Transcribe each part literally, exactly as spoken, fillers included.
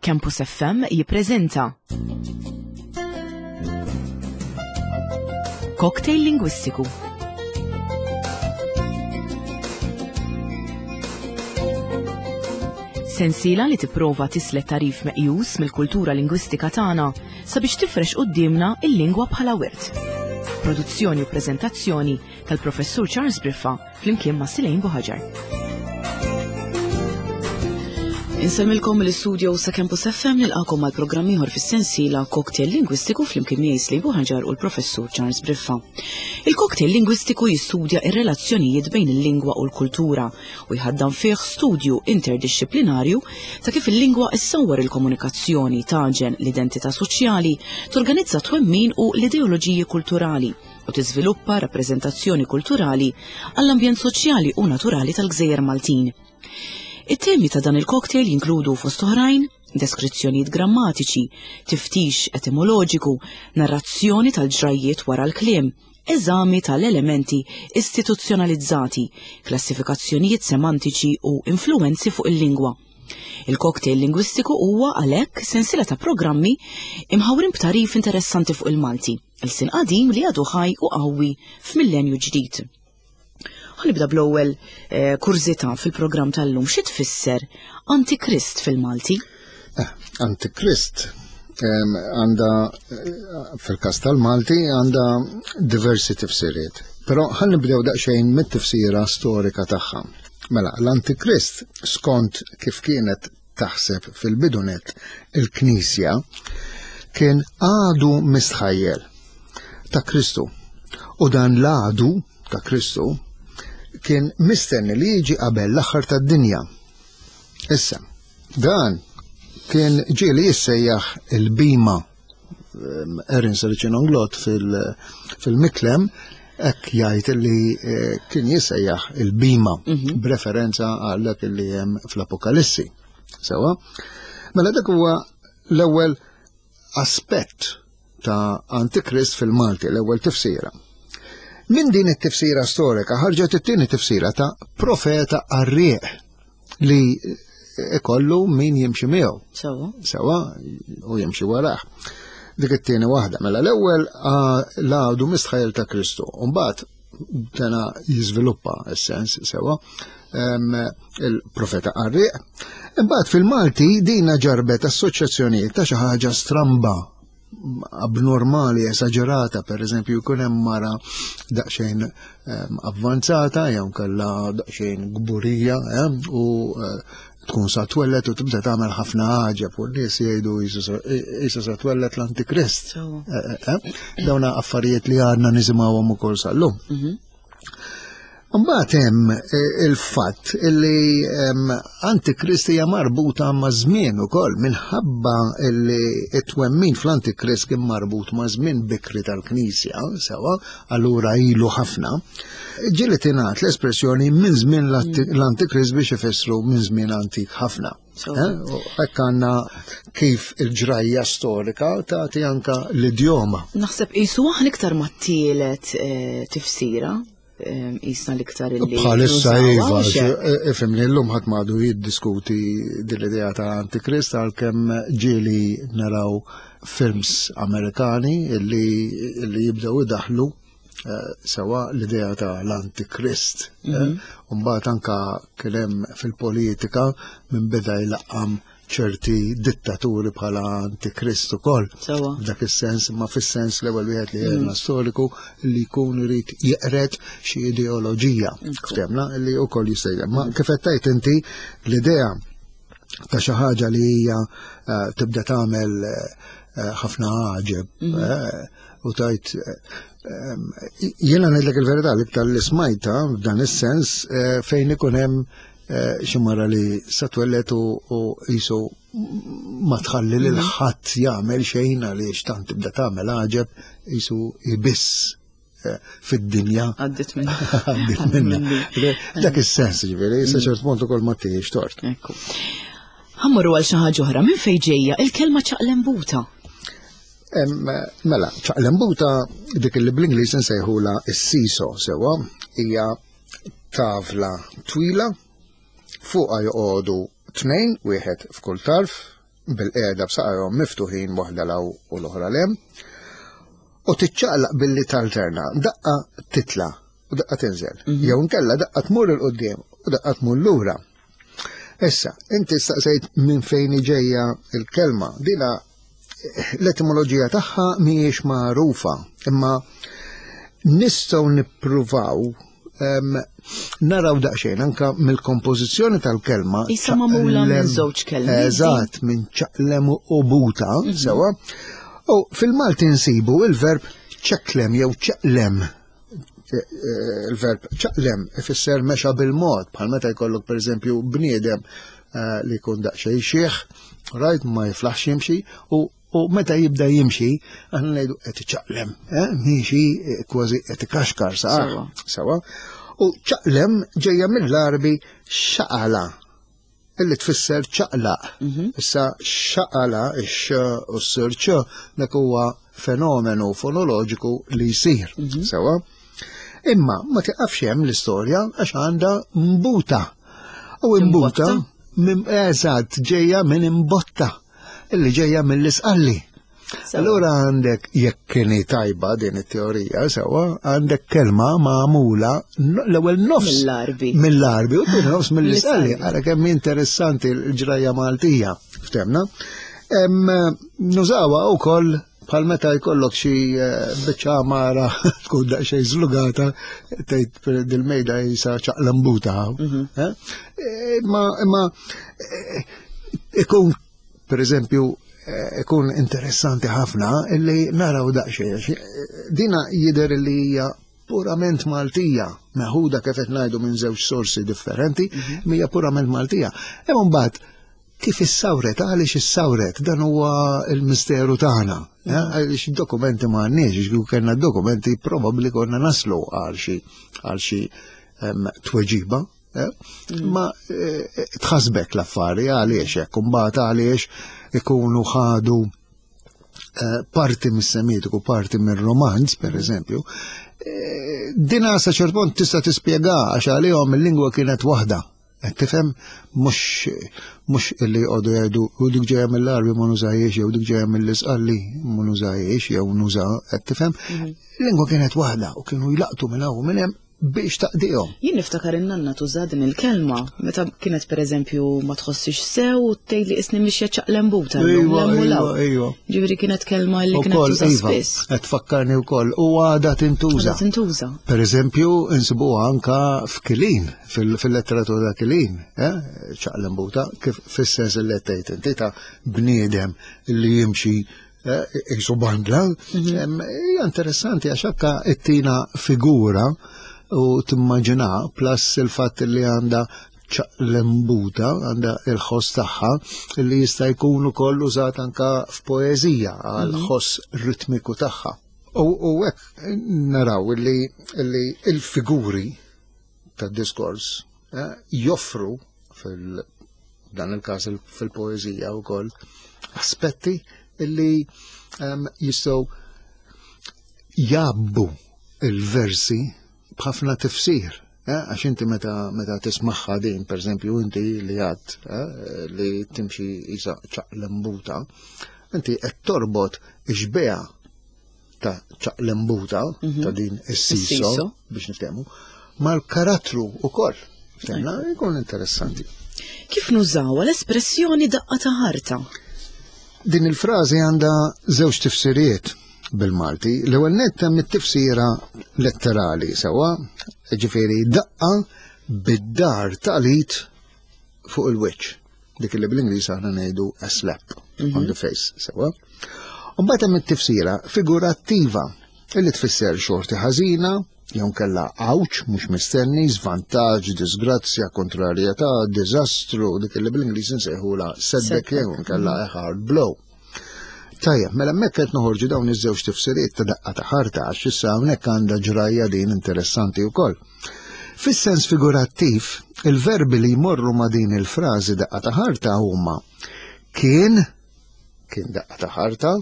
Campus F M jippreżenta Cocktail Lingwistiku. Sensiela li tipprova tislet tarif meqjus mill-kultura lingwistika tagħna sabiex tifrex quddiemna il-lingwa bħala wirt. Produzzjoni u preżentazzjoni tal-Professur Charles Briffa flimkien ma' Silejn Buħaġar. Insemmilkom l-istudio sa' Campus F M nilqakom għal programm ieħor fis-sensiela Cocktail Lingwistiku flimkien miegħi Silejn Buħaġar u l-Professur Charles Briffa. Il-cocktail lingwistiku jistudja ir-relazzjonijiet bejn il-lingwa u l-kultura u jħaddan fih studju interdixxiplinarju ta' kif il-lingwa issawwar il-komunikazzjoni, taġen l-identità soċjali, torganizza twemmin u l-ideoloġiji kulturali u tiżviluppa rappreżentazzjoni kulturali għall-ambjent soċjali u naturali tal-Gżejjer Maltin. It-temi ta' dan il-cocktail jinkludu fost oħrajn deskrizzjonijiet grammatiċi, tiftix etimoloġiku, narrazzjoni tal-ġrajjiet wara l-kliem, eżami tal-elementi istituzzjonalizzati, klassifikazzjonijiet semantiċi u influwenzi fuq il-lingwa. Il-cocktail lingwistiku huwa għalhekk sensiela ta' programmi imħawrin b'tarif interessanti fuq il-Malti, il-sin qadim li għadu ħaj u qawwi f'millenju ġdid. Ħanibda bl-ewwel eh, kurżità fil-programm tal-lum. Xi tfisser Antikrist fil-Malti? Eh, Antikrist għandha fil-każ tal-Malti għandha diversi tifsiriet. Però ħan nibdew daqsxejn mit-tifsira storika tagħha. Mela, l-Antikrist skont kif kienet taħseb fil-bidunet il-Knisja kien għadu mistħajjel ta' Kristu. U dan l-għadu ta' Kristu kien mistenni li jiġi qabel l-aħħar tad-dinja. Issa, dan kien ġieli jissejjaħ il-bima. Erin Sericin-Onglot fil-Miklem hekk jgħid li kien jissejjaħ il-bima b'referenza għal dak li hemm fl-Apokalissi. Sewa? Mela dak huwa l-ewwel aspett ta' Antikrist fil-Malti, l-ewwel tifsira. Min din it-tifsira storika ħarġet it-tieni tifsira ta' profeta qarrieq li ikollu min jimxi miegħu. Sewa. Sewa, u jimxi warah. Dik it-tieni waħda. Mela l-ewwel l-għadu mistħajjel ta' Kristu. U mbagħad dana jiżviluppa s-sens sewa il-profeta qarrieq. Imbagħad fil-Malti dina ġarbet assoċjazzjonijiet ta' xi ħaġa stramba, abnormali, esagerata, per eżempju, jkun hemm mara daqsxejn avvanzata, jew kellha daqsxejn gburija, u tkun sa twellet u tibda tagħmel ħafna għaġeb u n-nies jgħidu qisu sa twellet l-Antikrist. Dawna affarijiet li għadna nisimgħuhom ukoll sal-lum. Mbagħad hemm il-fatt li Antikrist hija marbuta ma' żmien ukoll minħabba li t-twemmin fl-Antikrist kien marbut ma' żmien bikri tal-Knisja, sewa, allura ilu ħafna. Ġieli tingħad l-espressjoni minn żmien l-Antikrist biex ifissru minn żmien antik ħafna. Hekk għandna kif il-ġrajja storika tagħti anka l-idjoma. Naħseb qisu aħna iktar mat-tielet tifsira. Jisna l-iktar illi Bħalissa nużawha, iva, mhux hekk? ifhimni llum ħadd m'għadu jiddiskuti din l-idea ta' Antikrist għalkemm ġieli naraw films Amerikani illi, illi jibdew idaħlu sewa l-idea ta' l-Antikrist. Mhm. U mbagħad anka kien hemm fil-politika minn beda jlaqqam ċerti dittaturi bħala Antikrist ukoll. Sewa. F'dak is-sens, ma fis-sens l-ewwel wieħed li għedna storiku li jkun irid jeqred xi ideoloġija. Ftemna li wkoll jista' jgħid. Ma kif qed tgħid inti l-idea ta' xi ħaġa li hija tibda tagħmel ħafna għaġeb, u tajt jiena ngħidlek il-verità l-iktar li smajta f'dan is-sens fejn ikun hemm xi mara li sa twellet u qisu ma tħalli lil ħadd jagħmel xejn għaliex tant tibda tagħmel għaġeb qisu ibiss fid-dinja. Għaddit minna. Għaddit minna. Dak is-sens, ġifieri, sa ċert punt ukoll ma tiex tort. Ekku. Ħammorru għal xi ħaġa oħra, minn fejn ġejja il-kelma ċaqlembuta? Mela, ċaqlembuta dik li bl-Ingliż insejħula s-siso sewa, hija tavla twila, fuqha joqogħdu tnejn, wieħed f'kull tarf, bil-qiegħda b'saqajhom miftuħin waħda 'l hawn u l-oħra 'l hemm, u tiċċaqlaq billi talterna, daqqa titla u daqqa tinżel, jew inkella daqqa tmur 'il quddiem u daqqa tmur lura. Issa, inti staqsejt minn fejn ġejja il-kelma, dina l-etimoloġija tagħha mhijiex magħrufa, imma nistgħu nippruvaw em, naraw daqsxejn anka mill-kompożizzjoni tal-kelma. Isa magħmula minn ċaqlem- żewġ kelmiet. Eżatt, minn ċaqlem u buta, sewa. U fil-Malti nsibu il-verb ċeklem jew ċeqlem. Eh, eh, Il-verb ċaqlem ifisser mexa bil-mod, bħal meta jkollok pereżempju bniedem eh, li jkun daqsxejn xiħ, right, ma jiflaħx jimxi, u u meta jibda jimxi, aħna ngħidu qed iċaqlem, eh, miexi eh, kważi qed ikaxkar Sewa. sawa. Sewa. U ċaqlem ġejja mill-Għarbi xaqala, illi tfisser ċaqlaq. Issa xaqala, ix u s-sirċ, dak huwa fenomenu fonoloġiku li jsir. Sewa. Imma ma tiqafx hemm l-istorja għax għandha mbuta. U imbuta, Imbotta? eżatt, ġejja minn imbotta, illi ġejja mill-isqalli. Allura għandek, jekk kieni tajba din it-teorija, sewa, għandek kelma magħmula no- l-ewwel nofs Mill-Għarbi. Mill-Għarbi u t nofs mill-isqalli. Mill-Isqalli. Ara kemm interessanti l-ġrajja Maltija, ftemna. Em, Nużawha wkoll bħal meta jkollok xi eh, biċċa għamara tkun daqsxejn żlugata, tgħid dil-mejda jisa ċaqlambuta. Eh? Eh, Imma imma eh, ikun per eżempju eh, ikun interessanti ħafna illi naraw daqsxejn. għax, eh, Dina jidher li hija purament Maltija, meħuda kif qed ngħidu minn żewġ sorsi differenti, hija purament Maltija. Imma mbagħad kif issawret, għaliex issawret, dan huwa il-misteru tagħna. eh, Għaliex id-dokumenti ma għandniex, għax kieku kellna dokumenti probabbli konna naslu għal xi għal xi em, tweġiba. eh? Ma eh, tħasbek l-affari għaliex hekk, imbagħad għaliex ikunu ħadu eh, parti mis-Semitiku, parti mir-Romanz, per eżempju, eh, dina sa ċert punt tista' tispjega għax għalihom il-lingwa kienet waħda. Qed tifhem mhux mhux illi jqogħdu jgħidu u dik ġejja mill-Għarbi ma nużahiex jew dik ġejja mill-Isqalli ma nużahiex jew nuża, qed tifhem? Il-lingwa kienet waħda u kienu jlaqtu minn hawn u minn hemm biex taqdihom. Jien niftakar in-nanna tuża din il-kelma meta kienet pereżempju ma tħossix sew u tgħid li isni mixja ċaqlembuta llum, Ejwa, lemmu ejwa, law. ejwa. Ġifieri kienet kelma li kienet Ukoll, tuża iva, spiss. qed tfakkarni wkoll u għadha tintuża. Għadha tintuża. Per eżempju, insibuha anka f'Kilin, fil- fil-letteratura Kilin, eh? ċaqlembuta, kif fis-sens li tgħid inti ta' bniedem li jimxi eh, jisu bandla. Em, Hija interessanti għax anka ittina figura u timmaġina plus il-fatt li għandha ċaqlembuta, għandha il-ħoss tagħha li jista' jkun ukoll użat anka f'poeżija għal ħoss ritmiku tagħha. U u hekk naraw li li il-figuri tad-diskors eh, joffru fil dan il-każ il- fil-poeżija wkoll aspetti illi em, jistgħu jabbu il-versi b'ħafna tifsir. eh, Għax inti meta meta tismaħħa din, per eżempju, inti li għad eh, li timxi isa ċaqlembuta, inti qed torbot ix-xbieha ta' ċaqlembuta ta' din is-seesaw Is-seesaw. biex niftehmu mal-karattru ukoll. Ftemna, jkun interessanti. Kif nużawha l-espressjoni daqqa ta' ħarta? Din il-frażi għandha żewġ tifsiriet bil-Malti. L-ewwel nett hemm it-tifsira letterali sewwa, ġifieri daqqa bid-dahar tal-id fuq il-wiċċ. Dik li bl-Ingliż aħna ngħidu a slap on the face, sewwa. U mbagħad hemm it-tifsira figurattiva illi tfisser xorti ħażina, jew kella għawġ mhux mistenni, żvantaġġ, disgrazzja, kontrarjetà, diżastru, dik li bl-Ingliż insejħula setback jew nkella a hard blow. Tajjeb, mela hemmhekk qed noħorġu dawn iż-żewġ tifsiriet ta' daqqa ta' ħarta għax issa hawnhekk għandha ġrajja din interessanti wkoll. Fis-sens figurattiv, il-verbi li jmorru ma' din il-frażi daqqa ta' ħarta huma kien, kien daqqa ta' ħarta,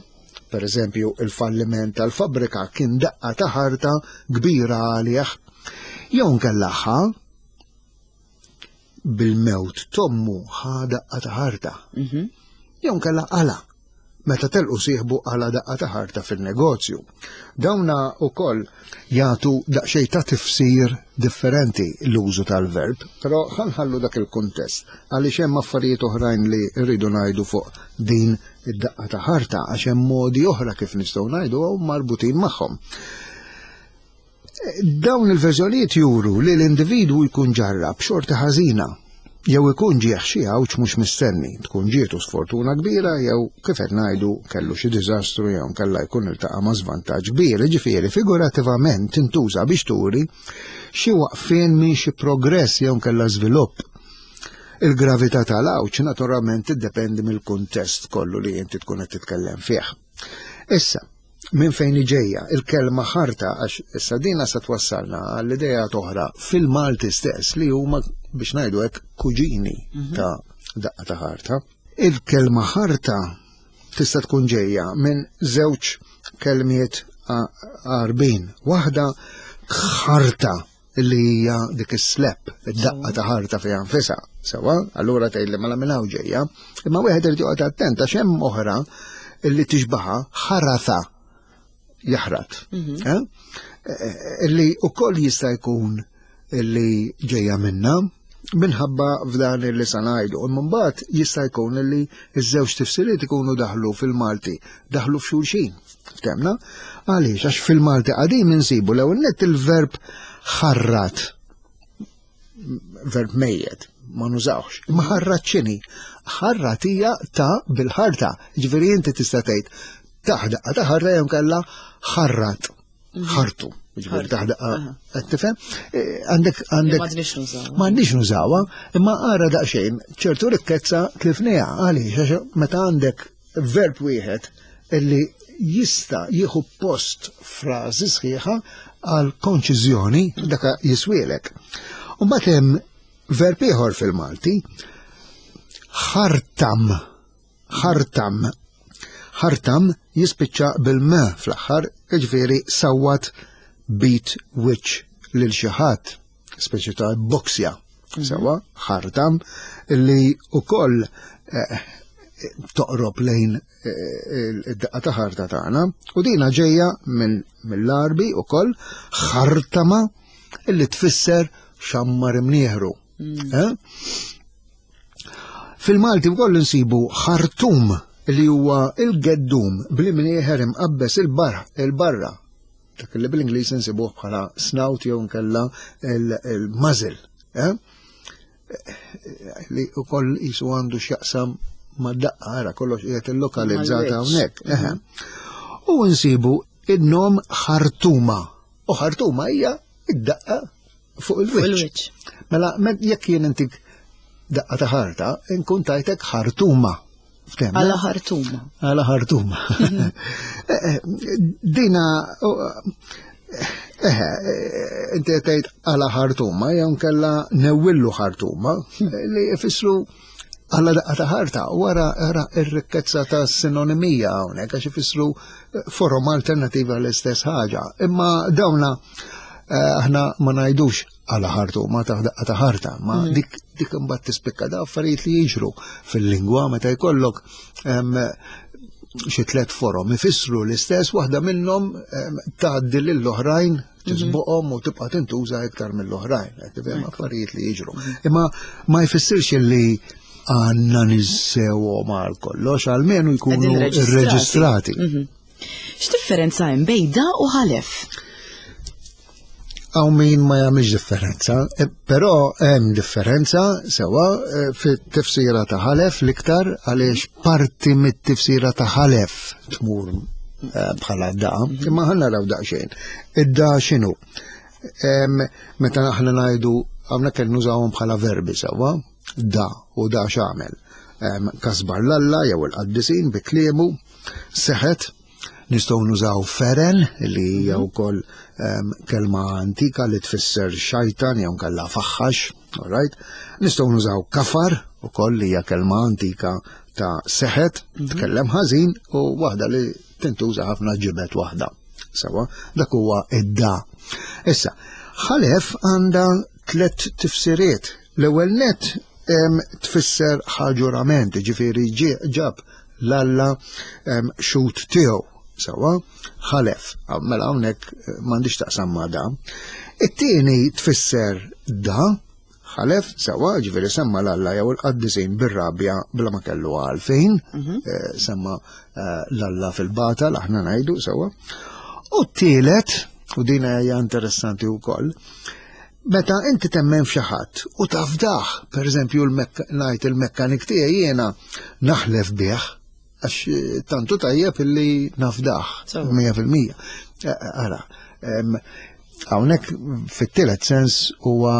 per eżempju il-falliment tal-fabrika kien daqqa ta' ħarta kbira għalih, jew nkella ħa bil-mewt t'ommu ħa daqqa ta' ħarta. Mhm. Jew nkella qala. Meta telqu sieħbu qala daqqa ta' ħarta fin-negozju. Dawna wkoll jagħtu daqsxejn ta' tifsir differenti l-użu tal-verb, però ħanħallu dak il-kuntest għaliex hemm affarijiet oħrajn li rridu ngħidu fuq din id-daqqa ta' ħarta għax hemm modi oħra kif nistgħu ngħidu u marbutin magħhom. Dawn il-verżjonijiet juru li l-individwu jkun ġarrab xorti ħażina jew ikun ġieħ xi għawġ mhux mistenni, tkun ġietu sfortuna kbira jew kif qed ngħidu kellu xi diżastru jew kellha jkun iltaqa' ma' żvantaġġ kbir, jiġifieri figurativament tintuża biex turi xi waqfien minn xi progress jew kellha żvilupp. Il-gravità tal-għawġ naturalment tiddependi mill-kuntest kollu li inti tkun qed titkellem fih. Issa, minn fejn ġejja il-kelma ħarta, għax issa dina sa twassalna għall-idea oħra fil-Malti stess li huma biex ngħidu hekk kuġini ta' daqqa ta' ħarta. Il-kelma ħarta tista' tkun ġejja minn żewġ kelmiet għarbin. Waħda ħarta li hija dik is-slap, id-daqqa ta' ħarta fiha nfisha. Sewa, allura tgħid li mela minn hawn ġejja, imma wieħed irid joqgħod attent għax hemm oħra illi tixbaħa ħaratha jaħrat. Eh? Illi ukoll jista' jkun illi ġejja minna minħabba f'dan illi sa ngħidu. Imma mbagħad jista' jkun illi ż-żewġ tifsiriet ikunu daħlu fil-Malti, daħlu f'xulxin. Ftemna? Għaliex għax fil-Malti qadim insibu l-ewwel nett il-verb ħarrat, verb mejjet, ma nużawx. Imma ħarrat x'inhi? Ħarrat hija ta' bil-ħarta. Ġifieri inti tista' tgħid taħdaqqa ta' ħarra jew kellha ħarrat, ħartu. Ġifieri taħdaqqa, qed tifhem? Għandek għandek M'għandniex nużawha. M'għandniex nużawha, imma ara daqsxejn ċertu rikkezza tlifniha għaliex għax meta għandek verb wieħed illi jista' jieħu post frażi sħiħa għal konċiżjoni daka jiswielek. U mbagħad hemm verb ieħor fil-Malti, ħartam, ħartam. Ħartam jispiċċa bil-m fl-aħħar, jiġifieri sawwat beat wiċċ lil xi ħadd, speċi ta' boksja. Sewa, ħartam li ukoll eh, toqrob lejn eh, id-daqqa ta' ħarta tagħna u dina ġejja minn mill-Arbi ukoll ħartama illi tfisser xammar imnieħru. Eh? Fil-Malti wkoll insibu ħartum li huwa il-geddum bl-imnieħer imqabbes il-barra, il-barra. Dak li bil-Ingliż insibuh bħala snout jew nkella il-muzzle. Eh? Li wkoll jisu għandu x'jaqsam ma' daqqa, ara kollox qiegħed illokalizzata hawnhekk. Eħe. U nsibu in-nom ħartuma. U ħartuma hija id-daqqa fuq il-wiċċ. Mela, jekk jien intik daqqa ta' ħarta, inkun tajtek ħartuma. Għala ħartuma. Għala ħartuma. Dina, eħe, inti tgħid għala ħartuma, jew nkella newwillu ħartuma, li jfissru għala daqqa ta' ħarta, wara ara ir-rikkezza ta' sinonimija hawnhekk għax ifissru forom alternativa l-istess ħaġa. Imma dawna aħna ma ngħidux għala ħartuma ta' daqqa ta' ħarta, ma dik dik imbagħad tispikka da affarijiet li jiġru fil-lingwa meta jkollok xi tliet forom ifissru l-istess, waħda minnhom tgħaddi lill-oħrajn tisboqhom u tibqa' tintuża iktar mill-oħrajn, qed tifhem affarijiet li jiġru. Imma ma jfissirx li għandna ninsewhom għal kollox, almenu jkunu irreġistrati. X'differenza hemm bejn da u ħalef? Hawn min ma jagħmilx differenza, però hemm differenza sewa fit-tifsira ta' ħalef l-iktar għaliex parti mit-tifsira ta' ħalef tmur bħala da, imma ħa naraw daqsxejn. Id-da x'inhu? Meta aħna ngħidu hawnhekk qed nużawhom bħala verbi sewa, da u da x'għamel. Kasbar l-Alla jew il-qaddisin bi kliemu, seħet, nistgħu nużaw feren li hija wkoll kelma antika li tfisser xajtan jew nkella faħħax, all right? Nistgħu nużaw kafar ukoll li hija kelma antika ta' seħet, tkellem ħażin u waħda li tintuża ħafna ġibet waħda. Sewa, dak huwa id-da. Issa, ħalef għandha tliet tifsiriet. L-ewwel net tfisser ħaġurament, ġifieri ġab l-Alla xhud tiegħu. Sawa, ħalef, mela hawnhekk m'għandix taqsam ma' da. It-tieni tfisser da, ħalef, sawa, ġifieri semma l-Alla jew il-qaddisin bir-rabja bla ma kellu għalfejn, semma l-Alla fil-batal, aħna ngħidu, sawa. U t-tielet, u din hija interessanti wkoll, meta inti temmen f'xi ħadd u tafdaħ, pereżempju ngħid il-mekkanik tiegħi jiena naħlef bih, għax tantu tajjeb illi nafdaħ, mija fil-mija. Ara, hawnhekk fit-tielet sens huwa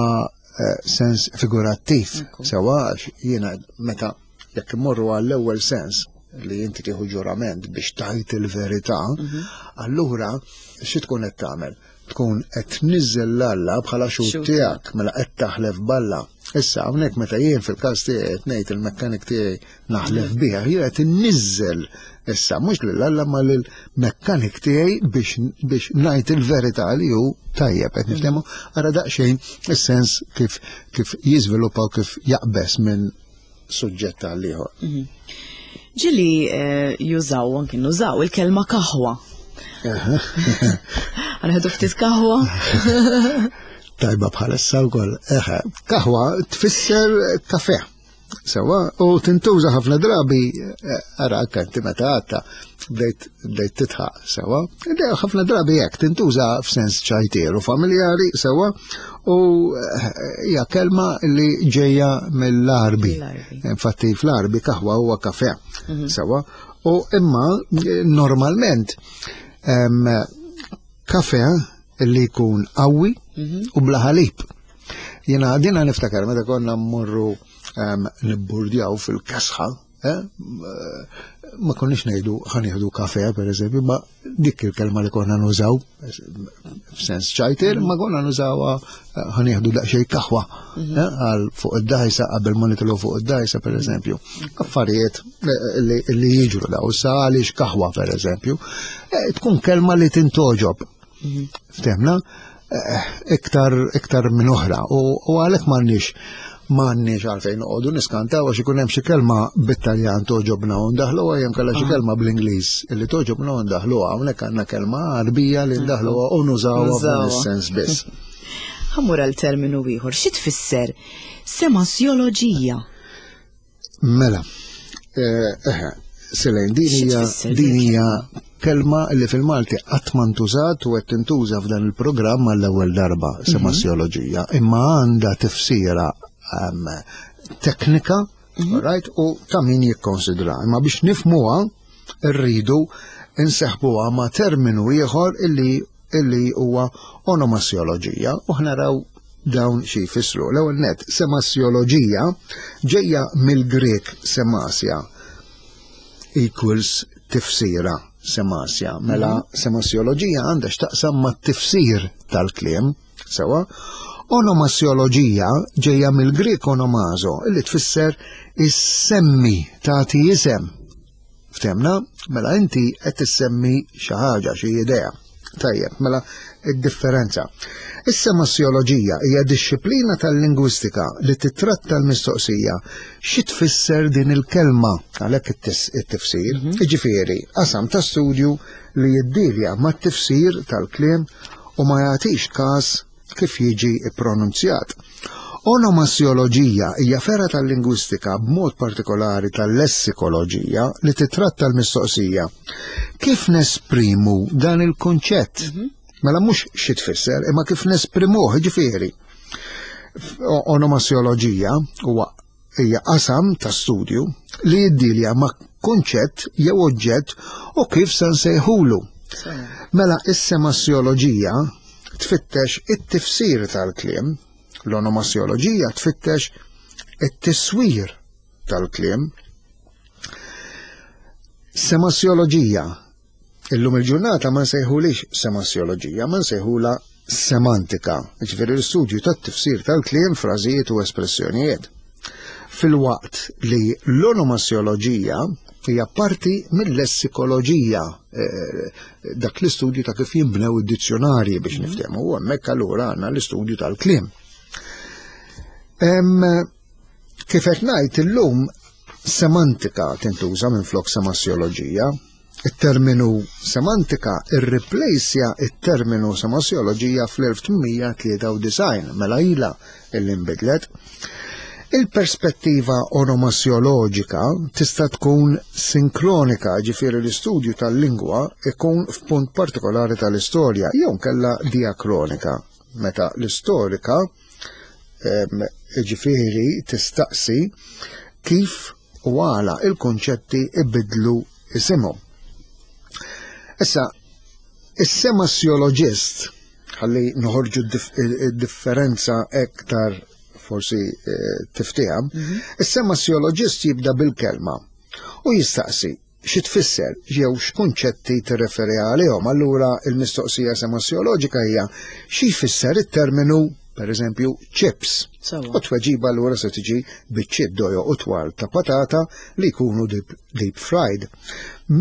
sens figurattiv, sewa għax jiena meta jekk immorru għall-ewwel sens li inti tieħu ġurament biex tajt il-verità, allura xi tkun qed tagħmel? Tkun qed tniżżel l-Alla bħala xhud tiegħek, mela qed taħlef b'Alla. Issa hawnhekk meta jien fil-każ tiegħi qed ngħid il-mekkanik tiegħi naħlef bih, jien qed inniżżel issa mhux lil Alla ma lill-mekkanik tiegħi biex biex ngħid il-verità li hu tajjeb, qed niftehmu ara daqsxejn is-sens kif kif jiżviluppa u kif jaqbes minn suġġett għal ieħor. Ġieli jużaw, anki nużaw il-kelma kaħwa. Għanħedu ftit kaħwa? Tajba bħalissa wkoll. Eħe, kaħwa tfisser kafe. Sewa, u tintuża ħafna drabi, ara anke meta għadta bdejt bdejt titħaq, sewa. Ħafna drabi hekk tintuża f'sens ċajtier u familjari, sewa, u hija kelma li ġejja mill-Arbi. Infatti fl-Arbi kaħwa huwa kafe, sewa. U imma normalment kafe li jkun qawwi u bla ħalib. Jiena dina niftakar meta konna mmorru nibburdjaw fil-kesħa, ma konniex ngħidu ħa nieħdu kafe pereżempju, ma dik il-kelma li konna nużaw f'sens ċajtir, ma konna nużawha ħa nieħdu daqsxejn kaħwa għal fuq id-dajsa qabel ma nitilgħu fuq id-dajsa pereżempju. Affarijiet li jiġru daw sa għaliex kaħwa pereżempju, tkun kelma li tintoġob. Ftemna? Iktar iktar minn oħra u għalhekk m'għandniex m'għandniex għalfejn noqogħdu niskantaw għax ikun hemm xi kelma bit-Taljan toġobna u ndaħluha jew kellha xi kelma bl-Ingliż illi toġobna u ndaħluha, hawnhekk għandna kelma Għarbija li ndaħluha u nużawha f'dan is-sens biss. Ħammur għal terminu ieħor, xi tfisser semasjoloġija? Mela, eħe, Selejn, din hija din hija kelma li fil-Malti qatt ma ntużat u qed tintuża f'dan il-programm għall-ewwel darba, semasjoloġija, imma għandha tifsira teknika, right, u ta' min jikkonsidra. Imma biex nifhmuha rridu inseħbuha ma' terminu ieħor illi illi huwa onomasjoloġija u ħnaraw dawn xi jfissru. L-ewwel net, semasjoloġija ġejja mill-Grek semasja equals tifsira, semasja. Mela semasjoloġija għandha x'taqsam mat-tifsir tal-kliem, sewa. Onomasjoloġija ġejja mill-Grek onomazo, illi tfisser issemmi, tagħti isem. Ftemna? Mela inti qed tissemmi xi ħaġa, xi idea. Tajjeb, mela id-differenza. Is-semasjoloġija hija dixxiplina tal-lingwistika li titratta l-mistoqsija xi tfisser din il-kelma, għalhekk it-tifsir, jiġifieri qasam ta' studju li jiddilja mat-tifsir tal-kliem u ma jagħtix każ kif jiġi ppronunzjat. Onomasjoloġija hija fergħa tal-lingwistika b'mod partikolari tal-lessikoloġija li titratta l-mistoqsija kif nesprimu dan il-kunċett. Mela mhux xi tfisser, imma kif nesprimuh, ġifieri. Onomasjoloġija huwa hija qasam ta' studju li jiddilja ma' kunċett jew oġġett u kif se nsejħulu. Mela is-semasjoloġija tfittex it-tifsir tal-kliem, l-onomasjoloġija tfittex it-tiswir tal-kliem. Semasjoloġija, illum il-ġurnata ma nsejħulix semasjoloġija, ma nsejħula semantika, ġifieri l-istudju tat-tifsir tal-kliem, frażijiet u espressjonijiet. Fil-waqt li l-onomasjoloġija hija parti mill-lessikoloġija, dak l-istudju ta' kif jinbnew id-dizzjonarji biex niftehmu, u hemmhekk allura għandna l-istudju tal-kliem. Kif qed ngħid illum semantika tintuża minflok semasjoloġija. Il-terminu semantika irreplejsja il-terminu semasjoloġija fl-elf tmien mija tlieta u disgħin, mela ila illi nbidlet. Il-perspettiva onomasjoloġika tista' tkun sinkronika, ġifieri l-istudju tal-lingwa ikun f'punt partikolari tal-istorja, jew kella diakronika, meta l-istorika ġifieri tistaqsi kif u għala il-konċetti ibidlu isimhom. Issa, is-semasjoloġist, ħalli noħorġu d-differenza ektar forsi eh, tiftiehem, mhm. is-semasjoloġist jibda bil-kelma u jistaqsi xi tfisser jew x'kunċetti tirreferi għalihom. Allura il-mistoqsija semasjoloġika hija xi jfisser it-terminu, per eżempju, chips. U tweġiba allura se tiġi biċċiet dojoq u twal ta' patata li jkunu deep, deep fried.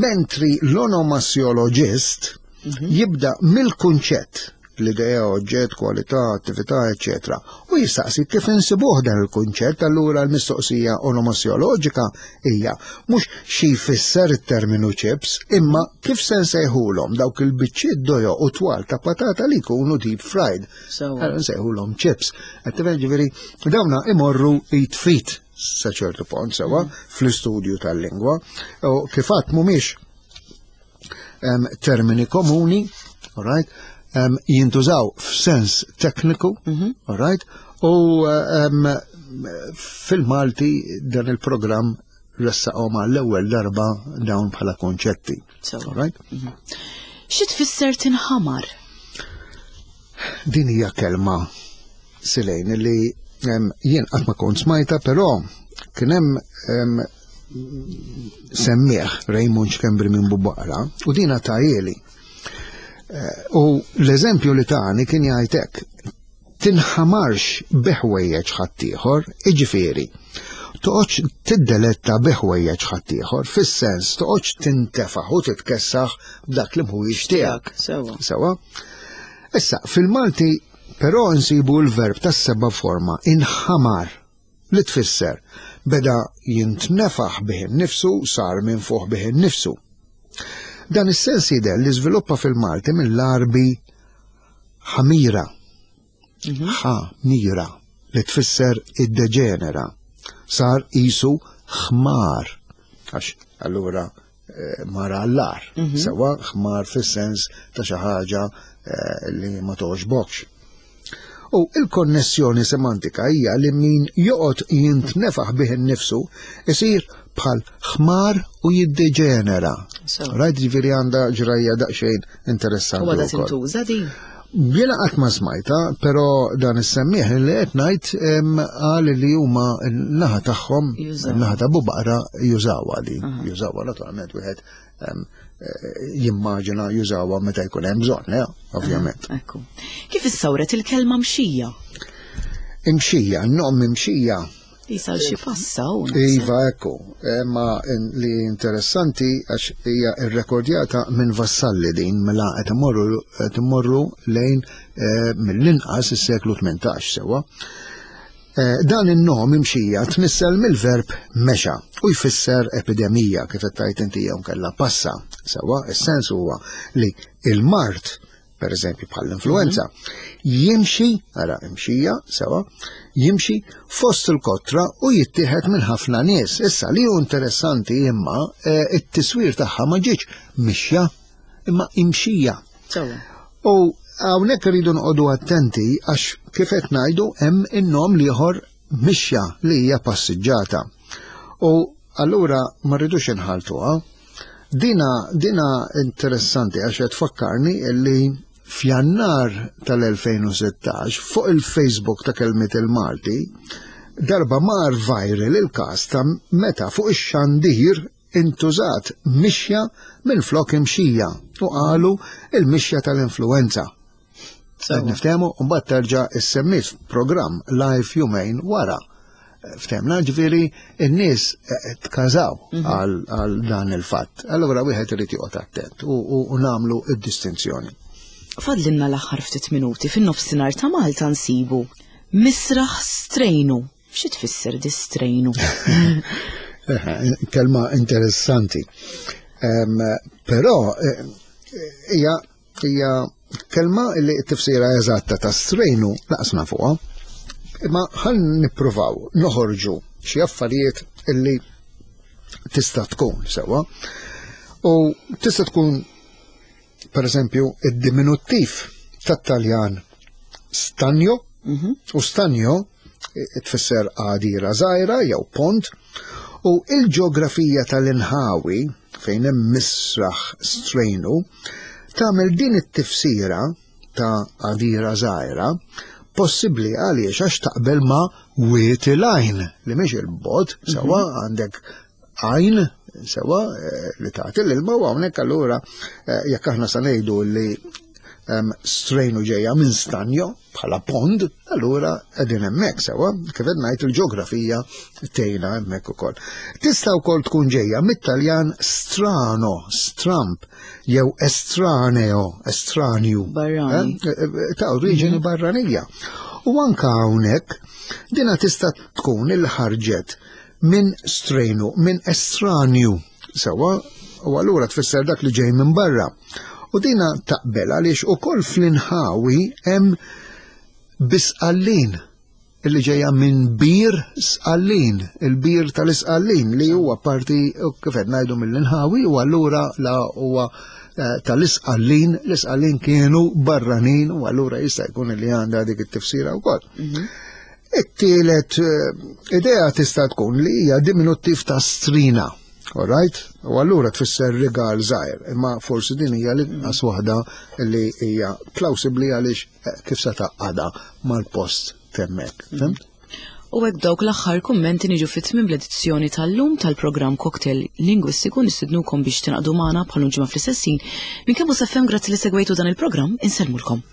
Mentri l-onomasjoloġist mhm. jibda mill-kunċett, l-idea, oġġett, kwalità, attività, eċċetera. U jistaqsi kif insibuh dan il-kunċett. Allura l-mistoqsija onomasjoloġika hija mhux xi jfisser it-terminu chips, imma kif se nsejħulhom dawk il-biċċiet dojoq u twal ta' patata li jkunu deep fried. Nsejħulhom chips. Qed ġifieri dawna imorru id f'id sa ċertu punt sewa fl-istudju tal-lingwa. U kif għedt, mhumiex termini komuni, all right, um, jintużaw f'sens tekniku, mm -hmm. all right, u um, fil-Malti dan il-programm ressaqhom għall-ewwel darba dawn bħala konċetti. All right? Mm -hmm. Xi tfisser tinħamar? Din hija kelma, Silejn, li um, jien qatt ma kont smajta, però kien hemm um, semmieħ Raymond Schembri minn Bubaqra u dina tahieli. Eh, u l-eżempju li tani kien jgħidlek tinħamarx biħwejjeġ ħaddieħor, iġifieri, toqgħodx tiddeletta biħwejjeġ ħaddieħor, fis-sens toqgħodx tintefaħ u titkessaħ b'dak li mhuwiex tiegħek. Sewa. Sewa. Issa, fil-Malti però nsibu l-verb tas-seba' forma inħamar, li tfisser beda jintnefaħ bih innifsu, sar minfuħ bih innifsu. Dan is-sens jidher li żviluppa fil-Malti mill-Arbi ħamira. Ħamira, li tfisser id-deġenera. Sar isu ħmar. Għax allura eh, mara għall-agħar. Sewa, ħmar fis-sens ta' xi ħaġa eh, li ma toġbokx. U il-konnessjoni semantika hija li min joqgħod jintnefaħ bih innifsu isir bħal ħmar u jiddeġenera. Sewa. Rajt, ġifieri għandha ġrajja daqsxejn interessanti U għadha wkoll. tintuża din? Jiena qatt ma smajta, però dan is-semmieħ li qed ngħid em, qal li huma n-naħa tagħhom, Jużaw. n-naħa ta' Bubaqra jużawha din. Jużawha naturalment, wieħed em, eh, jimmaġina jużawha meta jkun hemm bżonn, eh, ovvjament. Ekku. Kif issawret il-kelma mxija? Imxija, n-nom imxija. Jisal xi passa u Iva, ekku, eh, ma in- li interessanti għax hija irrekordjata minn Vassalli din, mela qed imorru qed immorru lejn eh, mill-inqas is-seklu tmintax, sewa. Eh, Dan in-nom imxija tnissel mill-verb mexa u jfisser epidemija, kif qed tgħid inti, jew kella passa. Sewa, is-sens huwa li il-mard, per eżempju bħall-influenza, jimxi, ara imxija, sewa, jimxi fost il-kotra u jittieħed minn ħafna nies. Issa li hu interessanti imma eh, it-tiswir tagħha ma ġietx mixja imma imxija. Sewa. U hawnhekk irridu noqogħdu attenti għax, kif qed ngħidu, hemm in-nom l-ieħor mixja li hija passiġġata. U allura ma rridux inħaltuha. Dina dina interessanti għax qed tfakkarni li f'Jannar tal-elfejn u sittax fuq il-Facebook ta' Kelmiet il-Malti darba mar viral il-każ ta' meta fuq ix-xandir intużat mixja minn flok imxija u qalu il-mixja tal-influenza. Sewa. Niftehmu, u mbagħad terġa' issemmit programm live jumejn wara. Ftehmna, ġifieri n-nies eh, tkażaw għal għal dan il-fatt. Allura wieħed irid joqgħod attent u, u, u nagħmlu id-distinzjoni. Fadlinna l-aħħar ftit minuti. Fin-nofsinhar ta' Malta nsibu misraħ strejnu. Xi tfisser di strejnu? Kelma interessanti. Però eh, hija hija kelma li t-tifsira eżatta ta' strejnu naqsna fuqha. Imma ħan nippruvaw noħorġu xi affarijiet illi tista' tkun sewwa. U tista' tkun per eżempju id-diminuttiv tat-Taljan stanjo, mhm. u stanjo tfisser għadira żgħira jew pont, u il-ġeografija tal-inħawi fejn hemm misraħ strejnu tagħmel din it-tifsira ta' għadira żgħira possibbli għaliex għax taqbel ma' wiet il-għajn li mhix il-bot, sewwa mhm. għandek għajn sewwa eh, li tagħti l-ilma u hawnhekk allura eh, jekk aħna sa ngħidu li strejnu ġejja minn stanjo bħala pond, allura qegħdin hemmhekk sewwa, kif qed ngħid il-ġeografija tgħinna hemmhekk ukoll. Tista' wkoll tkun ġejja mit-Taljan strano, stramp, jew estraneo, estranju. Barrani. Eh, eh, ta' oriġini mhm. barranija. U anka hawnhekk dina tista' tkun il-ħarġet minn strejnu, minn estranju, sewwa, u allura tfisser dak li ġej minn barra. U dina taqbel għaliex ukoll fl-inħawi hemm bisqallin illi ġejja minn bir sqallin, il-bir tal-isqallin li huwa parti kif qed ngħidu mill-inħawi u allura la huwa eh, tal-isqallin, l-isqallin kienu barranin u allura jista' jkun li għandha dik it-tifsira wkoll. Mhm. It-tielet eh, idea tista' tkun li hija diminuttiv ta' strina. All right? U allura tfisser rigal żgħir, imma forsi din hija l-inqas waħda li hija plawsibbli għaliex eh, kif se taqgħadha mal-post temmek. Fhimt? U hekk dawk l-aħħar kummenti niġu fit-tmiem l-edizzjoni tal-lum tal-programm Cocktail Lingwistiku. Nistidnukom biex tingħaqdu magħna bħal ġimgħa fl-istess ħin. Minn kemm U S F M, grazzi li segwejtu dan il-programm, insellmulkom.